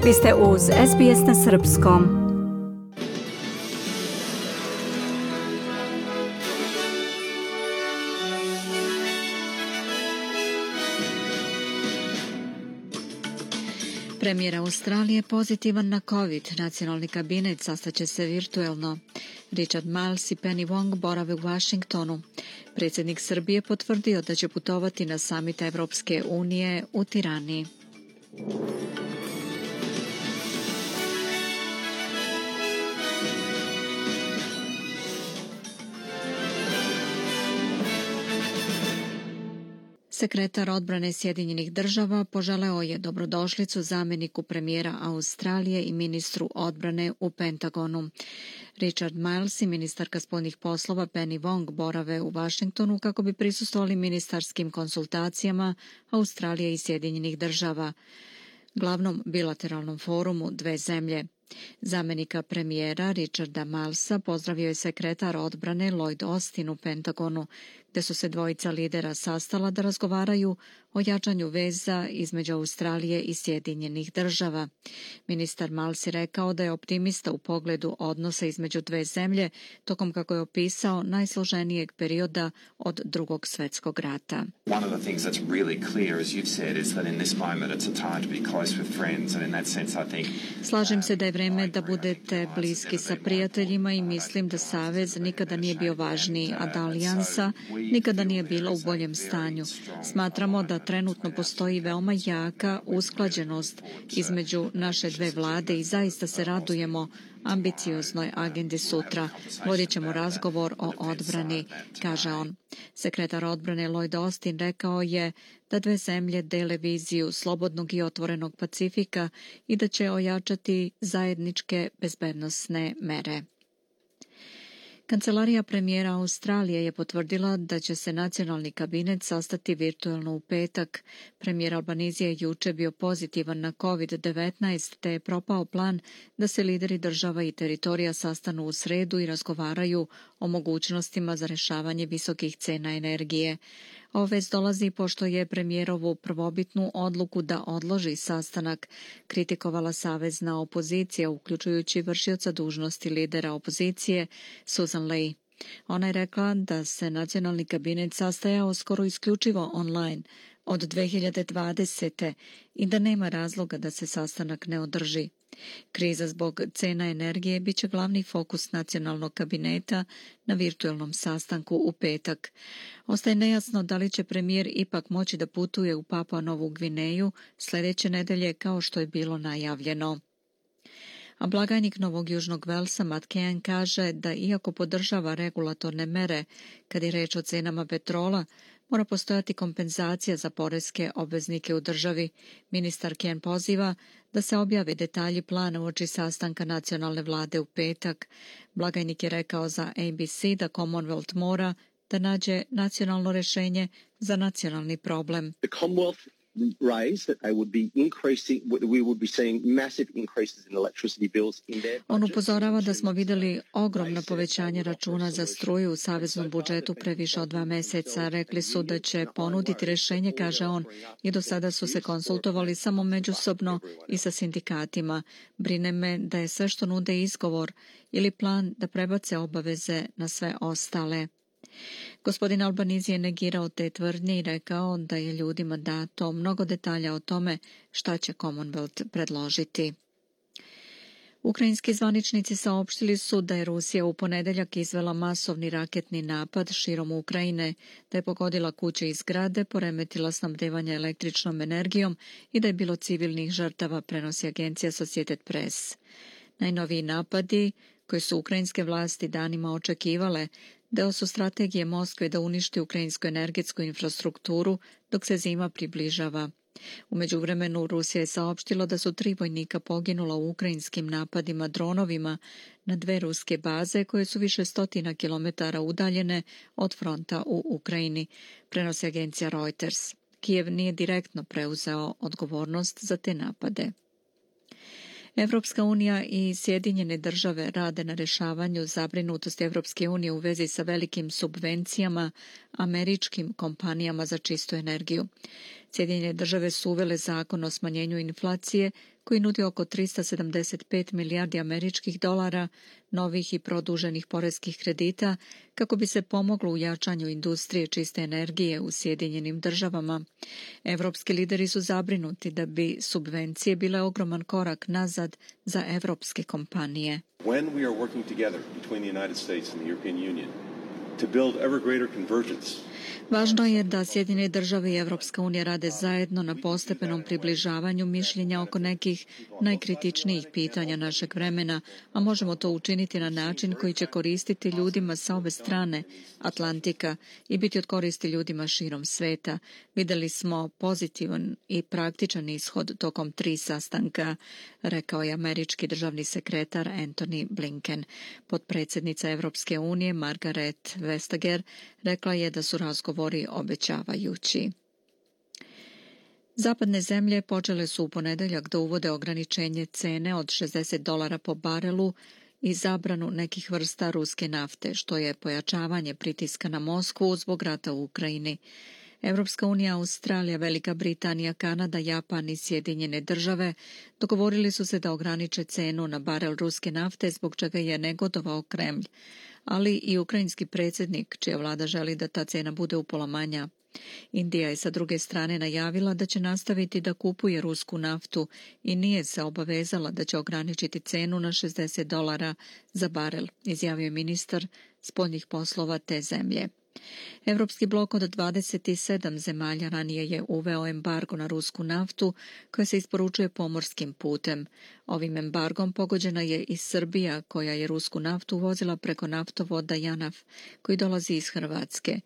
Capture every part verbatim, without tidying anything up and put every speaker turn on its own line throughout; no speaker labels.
Vi ste uz S B S na srpskom. Premijer Australije pozitivan na COVID. Nacionalni kabinet sastaće se virtuelno. Richard Marles i Penny Wong borave u Washingtonu. Predsjednik Srbije potvrdio da će putovati na samit Evropske unije u Tirani. Sekretar odbrane Sjedinjenih država poželeo je dobrodošlicu zamjeniku premijera Australije i ministru odbrane u Pentagonu. Richard Marles i ministarka spoljnih poslova Penny Wong borave u Washingtonu kako bi prisustvovali ministarskim konsultacijama Australije i Sjedinjenih država, glavnom bilateralnom forumu dve zemlje. Zamjenika premijera Richarda Marlesa pozdravio je sekretar odbrane Lloyd Austin u Pentagonu, gdje su se dvojica lidera sastala da razgovaraju o jačanju veza između Australije i Sjedinjenih država. Ministar Marles je rekao da je optimista u pogledu odnosa između dve zemlje tokom, kako je opisao, najsloženijeg perioda od Drugog svjetskog rata.
One of the things that's really clear, as you've said, is that in this moment it's a time to be close with friends, and in that sense I think
Slažem se da je vreme da budete bliski sa prijateljima i mislim da savez nikada nije bio važniji, a da alijansa nikada nije bila u boljem stanju. Smatramo da trenutno postoji veoma jaka usklađenost između naše dve vlade i zaista se radujemo ambicioznoj agendi sutra. Vodit ćemo razgovor o odbrani, kaže on. Sekretar odbrane Lloyd Austin rekao je da dve zemlje dele viziju slobodnog i otvorenog Pacifika i da će ojačati zajedničke bezbednosne mere. Kancelarija premijera Australije je potvrdila da će se nacionalni kabinet sastati virtuelno u petak. Premijer Albanese je juče bio pozitivan na COVID devetnaest, te je propao plan da se lideri država i teritorija sastanu u sredu i razgovaraju o mogućnostima za rješavanje visokih cena energije. Ova vest dolazi pošto je premijerovu prvobitnu odluku da odloži sastanak kritikovala savezna opozicija, uključujući vršioca dužnosti lidera opozicije Susan Ley. Ona je rekla da se nacionalni kabinet sastajao skoro isključivo online od dve hiljade dvadesete i da nema razloga da se sastanak ne održi. Kriza zbog cena energije bit će glavni fokus nacionalnog kabineta na virtualnom sastanku u petak. Ostaje nejasno da li će premijer ipak moći da putuje u Papua Novu Gvineju sljedeće nedelje kao što je bilo najavljeno. A blagajnik Novog Južnog Velsa Matt Kean kaže da iako podržava regulatorne mere kad je reč o cenama petrola, mora postojati kompenzacija za poreske obveznike u državi. Ministar Kean poziva da se objave detalji plana uoči sastanka nacionalne vlade u petak. Blagajnik je rekao za A B C da Commonwealth mora da nađe nacionalno rješenje za nacionalni problem.
The Commonwealth raised that they would be increasing, we would be seeing massive increases in electricity bills in their budget.
On upozorava da smo vidjeli ogromno povećanje računa za struju u saveznom budžetu pre više od dva mjeseca. Rekli su da će ponuditi rješenje, kaže on, i do sada su se konsultovali samo međusobno i sa sindikatima. Brine me da je sve što nude izgovor ili plan da prebace obaveze na sve ostale. Gospodin Albanese je negirao te tvrdnje i rekao da je ljudima dato mnogo detalja o tome šta će Commonwealth predložiti. Ukrajinski zvaničnici saopštili su da je Rusija u ponedjeljak izvela masovni raketni napad širom Ukrajine, da je pogodila kuće i zgrade, poremetila snabdevanje električnom energijom i da je bilo civilnih žrtava, prenosi agencija Associated Press. Najnoviji napadi, koje su ukrajinske vlasti danima očekivale, deo su strategije Moskve da uništi ukrajinsku energetsku infrastrukturu dok se zima približava. U međuvremenu Rusija je saopštila da su tri vojnika poginula u ukrajinskim napadima dronovima na dve ruske baze koje su više stotina kilometara udaljene od fronta u Ukrajini, prenosi agencija Reuters. Kijev nije direktno preuzeo odgovornost za te napade. Evropska unija i Sjedinjene države rade na rješavanju zabrinutosti Evropske unije u vezi sa velikim subvencijama američkim kompanijama za čistu energiju. Sjedinjene države su uvele zakon o smanjenju inflacije koji nudi oko tristo sedamdeset pet milijardi američkih dolara novih i produženih poreskih kredita kako bi se pomoglo u jačanju industrije čiste energije u Sjedinjenim državama. Evropski lideri su zabrinuti da bi subvencije bile ogroman korak nazad za evropske kompanije.
When we are working together between the United States and the European Union to build ever greater convergence.
Važno je da Sjedinjene države i Evropska unija rade zajedno na postepenom približavanju mišljenja oko nekih najkritičnijih pitanja našeg vremena, a možemo to učiniti na način koji će koristiti ljudima sa obe strane Atlantika i biti od koristi ljudima širom sveta. Videli smo pozitivan i praktičan ishod tokom tri sastanka, rekao je američki državni sekretar Antony Blinken. Potpredsjednica Evropske unije Margaret Vestager rekla je da su razgovori obećavajući. Zapadne zemlje počele su u ponedeljak da uvode ograničenje cene od šezdeset dolara po barelu i zabranu nekih vrsta ruske nafte, što je pojačavanje pritiska na Moskvu zbog rata u Ukrajini. Evropska unija, Australija, Velika Britanija, Kanada, Japan i Sjedinjene države dogovorili su se da ograniče cenu na barel ruske nafte, zbog čega je negodovao Kremlj, ali i ukrajinski predsjednik, čija vlada želi da ta cena bude upola manja. Indija je sa druge strane najavila da će nastaviti da kupuje rusku naftu i nije se obavezala da će ograničiti cenu na šezdeset dolara za barel, izjavio je ministar spoljnih poslova te zemlje. Evropski blok od dvadeset sedam zemalja ranije je uveo embargo na rusku naftu koja se isporučuje pomorskim putem. Ovim embargom pogođena je i Srbija, koja je rusku naftu uvozila preko naftovoda Janaf, koji dolazi iz Hrvatske.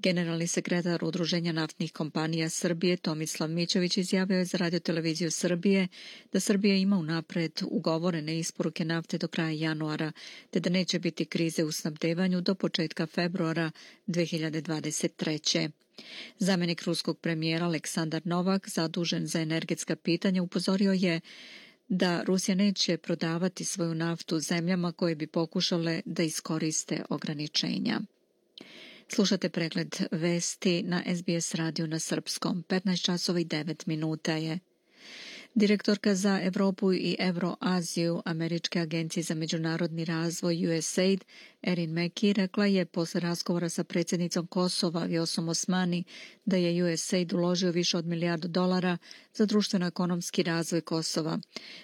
Generalni sekretar Udruženja naftnih kompanija Srbije Tomislav Mićović izjavio je za radioteleviziju Srbije da Srbija ima unapred ugovorene isporuke nafte do kraja januara, te da neće biti krize u snabdevanju do početka februara dve hiljade dvadeset treće. Zamjenik ruskog premijera Aleksandar Novak, zadužen za energetska pitanja, upozorio je da Rusija neće prodavati svoju naftu zemljama koje bi pokušale da iskoriste ograničenja. Slušate pregled vesti na S B S radiju na srpskom. petnaest časova i devet minuta je. Direktorka za Evropu i Evroaziju Američke agencije za međunarodni razvoj U S A I D Erin Mackey rekla je posle razgovora sa predsjednicom Kosova Vjosom Osmani da je U S A I D uložio više od milijardu dolara za društveno-ekonomski razvoj Kosova.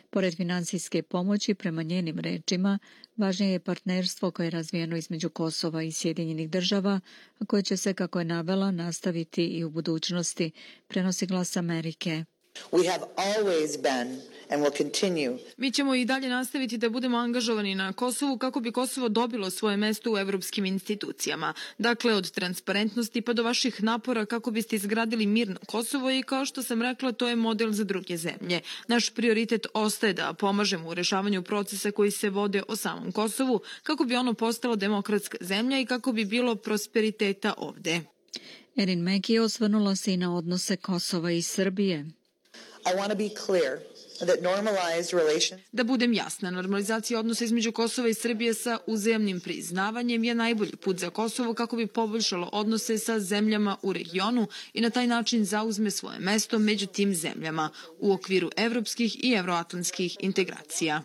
Pored finansijske pomoći, prema njenim rečima, važnije je partnerstvo koje je razvijeno između Kosova i Sjedinjenih država, a koje će se, kako je navela, nastaviti i u budućnosti, prenosi Glas Amerike.
We have always been and will continue.
Mi ćemo i dalje nastaviti da budemo angažovani na Kosovu kako bi Kosovo dobilo svoje mesto u evropskim institucijama. Dakle, od transparentnosti pa do vaših napora kako biste izgradili mirno Kosovo i, kao što sam rekla, to je model za druge zemlje. Naš prioritet ostaje da pomažemo u rešavanju procesa koji se vode o samom Kosovu kako bi ono postalo demokratska zemlja i kako bi bilo prosperiteta ovde.
Erin Mackey osvrnula se i na odnose Kosova i Srbije.
I want to be clear that normalized relations...
Da budem jasna, normalizacija odnosa između Kosova i Srbije sa uzajamnim priznavanjem je najbolji put za Kosovo kako bi poboljšalo odnose sa zemljama u regionu i na taj način zauzme svoje mesto među tim zemljama u okviru evropskih i evroatlantskih integracija.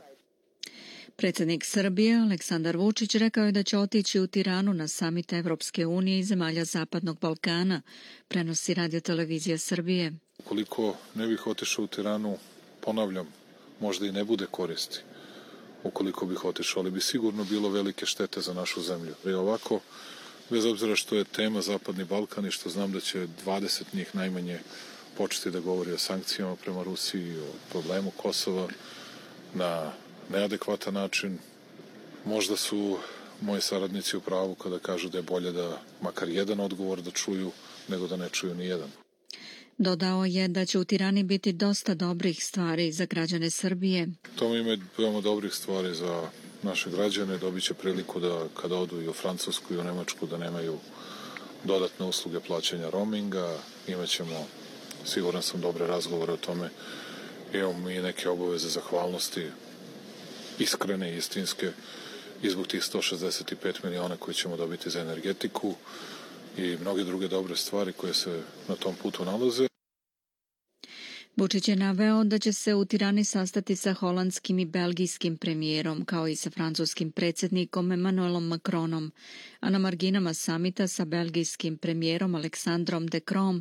Predsjednik Srbije Aleksandar Vučić rekao je da će otići u Tiranu na samit Evropske unije i zemalja Zapadnog Balkana, prenosi radiotelevizija Srbije.
Ukoliko ne bih otišao u Tiranu, ponavljam, možda i ne bude koristi. Ukoliko bih otišao, ali bi sigurno bilo velike štete za našu zemlju. I ovako, bez obzira što je tema Zapadni Balkan i što znam da će dvadeset njih najmanje početi da govori o sankcijama prema Rusiji, o problemu Kosova na neadekvatan način, možda su moji saradnici u pravu kada kažu da je bolje da makar jedan odgovor da čuju, nego da ne čuju ni jedan.
Dodao je da će u Tirani biti dosta dobrih stvari za građane Srbije.
To ima veoma dobrih stvari za naše građane. Dobit će priliku da kada odu i u Francusku i u Nemačku da nemaju dodatne usluge plaćanja roaminga. Imaćemo, siguran sam, dobre razgovore o tome. Imamo i neke obaveze zahvalnosti, iskrene i istinske, i zbog tih sto šezdeset pet miliona koje ćemo dobiti za energetiku i mnoge druge dobre stvari koje se na tom putu nalaze.
Vučić je naveo da će se u Tirani sastati sa holandskim i belgijskim premijerom, kao i sa francuskim predsjednikom Emmanuelom Macronom, a na marginama samita sa belgijskim premijerom Alexandrom De Croo,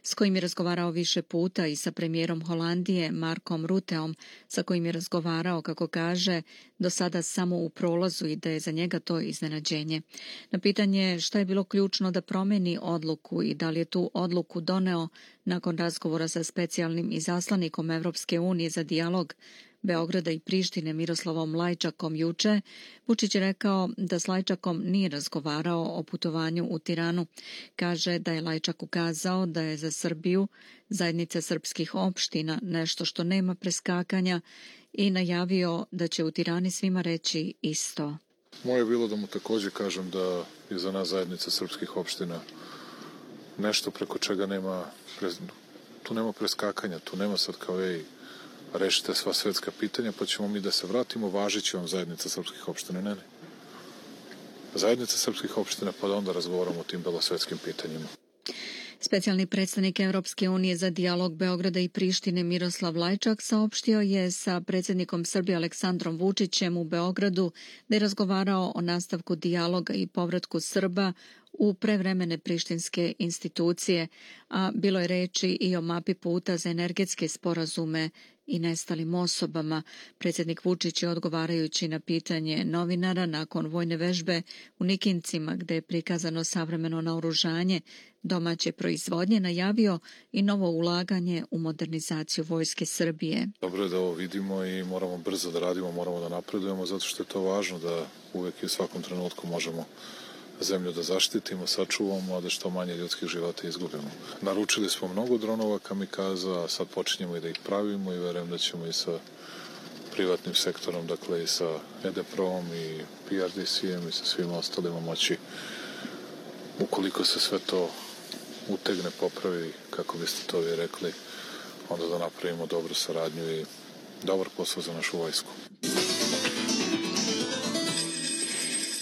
s kojim je razgovarao više puta, i sa premijerom Holandije Markom Rutteom, sa kojim je razgovarao, kako kaže, do sada samo u prolazu i da je za njega to iznenađenje. Na pitanje šta je bilo ključno da promeni odluku i da li je tu odluku doneo nakon razgovora sa specijalnim izaslanikom Evropske unije za dijalog Beograda i Prištine Miroslavom Lajčakom juče, Vučić je rekao da s Lajčakom nije razgovarao o putovanju u Tiranu. Kaže da je Lajčak ukazao da je za Srbiju zajednica srpskih opština nešto što nema preskakanja i najavio da će u Tirani svima reći isto.
Moje je bilo da mu također kažem da je za nas zajednica srpskih opština nešto preko čega nema, tu nema preskakanja, tu nema sad kao ej, rešite sva svetska pitanja pa ćemo mi da se vratimo, važit će vam zajednica srpskih opština. Ne, ne. Zajednica srpskih opština pa da onda razgovaramo o tim belosvetskim pitanjima.
Specijalni predstavnik Evropske unije za dijalog Beograda i Prištine Miroslav Lajčak saopštio je sa predsjednikom Srbije Aleksandrom Vučićem u Beogradu da je razgovarao o nastavku dijaloga i povratku Srba u prevremene prištinske institucije, a bilo je reči i o mapi puta za energetske sporazume i nestalim osobama. Predsjednik Vučić je, odgovarajući na pitanje novinara nakon vojne vežbe u Nikincima, gde je prikazano savremeno naoružanje domaće proizvodnje, najavio i novo ulaganje u modernizaciju vojske Srbije.
Dobro je da ovo vidimo i moramo brzo da radimo, moramo da napredujemo, zato što je to važno da uvek i u svakom trenutku možemo zemlju da zaštitimo, sačuvamo, a da što manje ljudskih života izgubimo. Naručili smo mnogo dronova kamikaza, a sad počinjemo i da ih pravimo i verujem da ćemo i sa privatnim sektorom, dakle i sa E D P R O-om i P R D C-em i sa svima ostalima moći, ukoliko se sve to utegne, popravi, kako biste to vi rekli, onda da napravimo dobru saradnju i dobar posao za našu vojsku.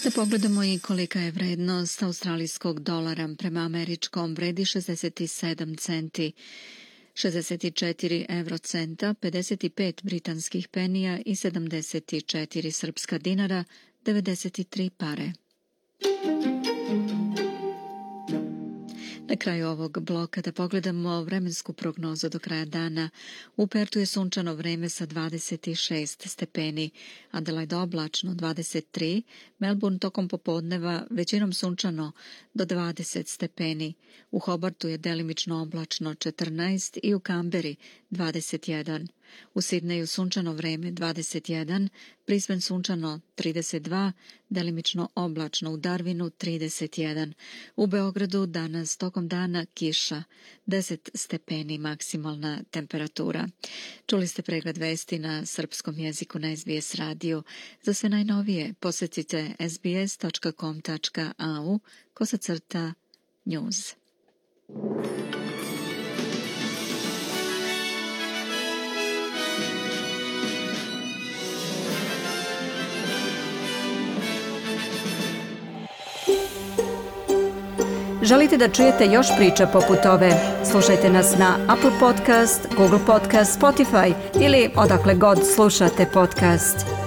Da pogledamo i kolika je vrednost australijskog dolara prema američkom, vredi šezdeset sedam centi, šezdeset četiri evrocenta, pedeset pet britanskih penija i sedamdeset četiri srpska dinara, devedeset tri pare. Na kraju ovog bloka da pogledamo vremensku prognozu do kraja dana. U Pertu je sunčano vreme sa dvadeset šest stepeni, Adelaide oblačno dvadeset tri, Melbourne tokom popodneva većinom sunčano do dvadeset stepeni, u Hobartu je delimično oblačno četrnaest i u Kamberi dvadeset jedan. U Sidneju sunčano vreme dvadeset jedan, Brisbane sunčano trideset dva, delimično oblačno u Darwinu trideset jedan. U Beogradu danas tokom dana kiša, deset stepeni maksimalna temperatura. Čuli ste pregled vesti na srpskom jeziku na S B S radiju. Za sve najnovije posjetite s b s tačka com tačka a u kosacrta news.
Želite da čujete još priča poput ove? Slušajte nas na Apple Podcast, Google Podcast, Spotify ili odakle god slušate podcast.